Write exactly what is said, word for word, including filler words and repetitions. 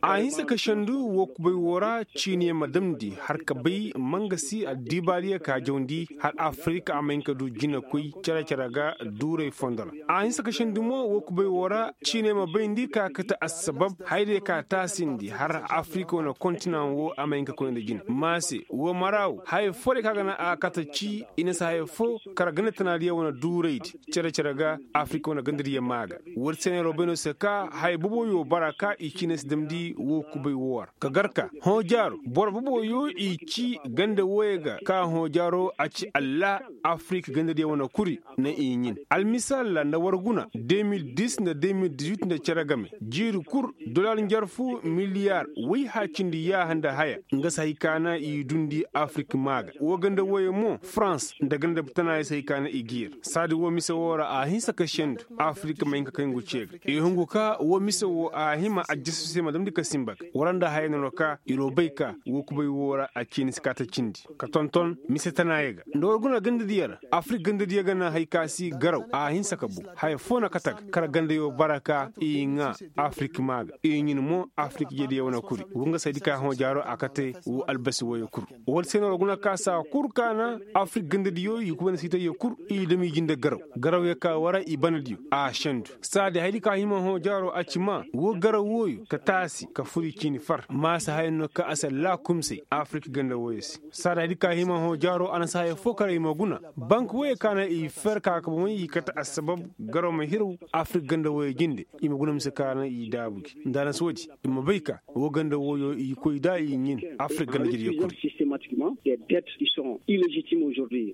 A hinsa ka sendu woo kubay woo ra ciiniyaŋ ma damndi har ka bay ma nga si addiibaadiyaŋ ka jawndi har afirik a ma hin ka du jinakoy cere-cere ga duuray fondo ra. A hinsa ka sendu mo woo kubay woo ra ciiniyaŋ ma bayndi ka kate assabab hayadiyaŋ ka taasindi har afirik wane kontinaŋ woo a ma hin ka koy nda jine ma se woo mara woo haya foo day kaŋ a ga naŋ a kate ci i na si haya foo kara ganda tanaadiyaŋ wane duuraydi cere-cere ga afirik wane gandadiyaŋ maa ga. War se no yer wo bay no se ka haya boboyo bara ka i ciine si damndi woo kubay woo ra ka gar ka hõ jaaro boro boboyo i ci ganda wooyo ga ka hõ jaaro a ci allah afirik gandadiyaŋ wane kuri na i ɲin almisaal ra nda war guna de mil dis nda de mil dis wit nda cere game jiiri kul dollar njarfu miliyaar woy haacindi yaaha nda haya nga si hay ka na i dundi afirik maa ga woo ganda wooyo mo farans nda ganda tanaayo si hay ka na i ga yer saadi woo mise woo ra a hinsa ka sendu afirik ma hin ka kay ngu ce ga i hungu ka woo mise woo a hima ajjasu se ma damndi ka sinba ga war nda haya no ra ka ir wo bay ka woo kubay woo ra a ciini si kaata cindi ka tonton mise tanaayo ga nda war guna gandadiyo ra afirik gandadiyo ga naŋ hay ka si garaw a hinsa ka bu haya foo na kate ga kar gandayo bara ka i ŋaa afirik maa ga i ɲin mo afirik jediyo wane kuri woo nga saydi ka hõ jaaro a kate woo albasi wooyo kul wala se no war guna ka saa kul ka na afirik gandadiyo i kuba na siitayyo kul i dam i jinde garaw garawyo ka war i banadiyo a sendu saadi hayadi ka hima hõ jaaro a ci maa woo garaw wooyo ka taasi ka fur i ciini far maasa haya no ka a si allaakumsay afirik ganda wooyo se saada di ka hima hõ jaaro a na si haya foo kar i ma guna bank wooyo ka na i fer ka ka bomey i kate assabab garo ma hiraw afirik ganda wooyo jinde i ma guna mise ka na i daabu gi nda a na si woodi i ma bay ka woo ganda wooyo i koy da i ɲin afirik ganda jediyo kuri. Systématiquement des dettes qui sont illégitimes aujourd'hui.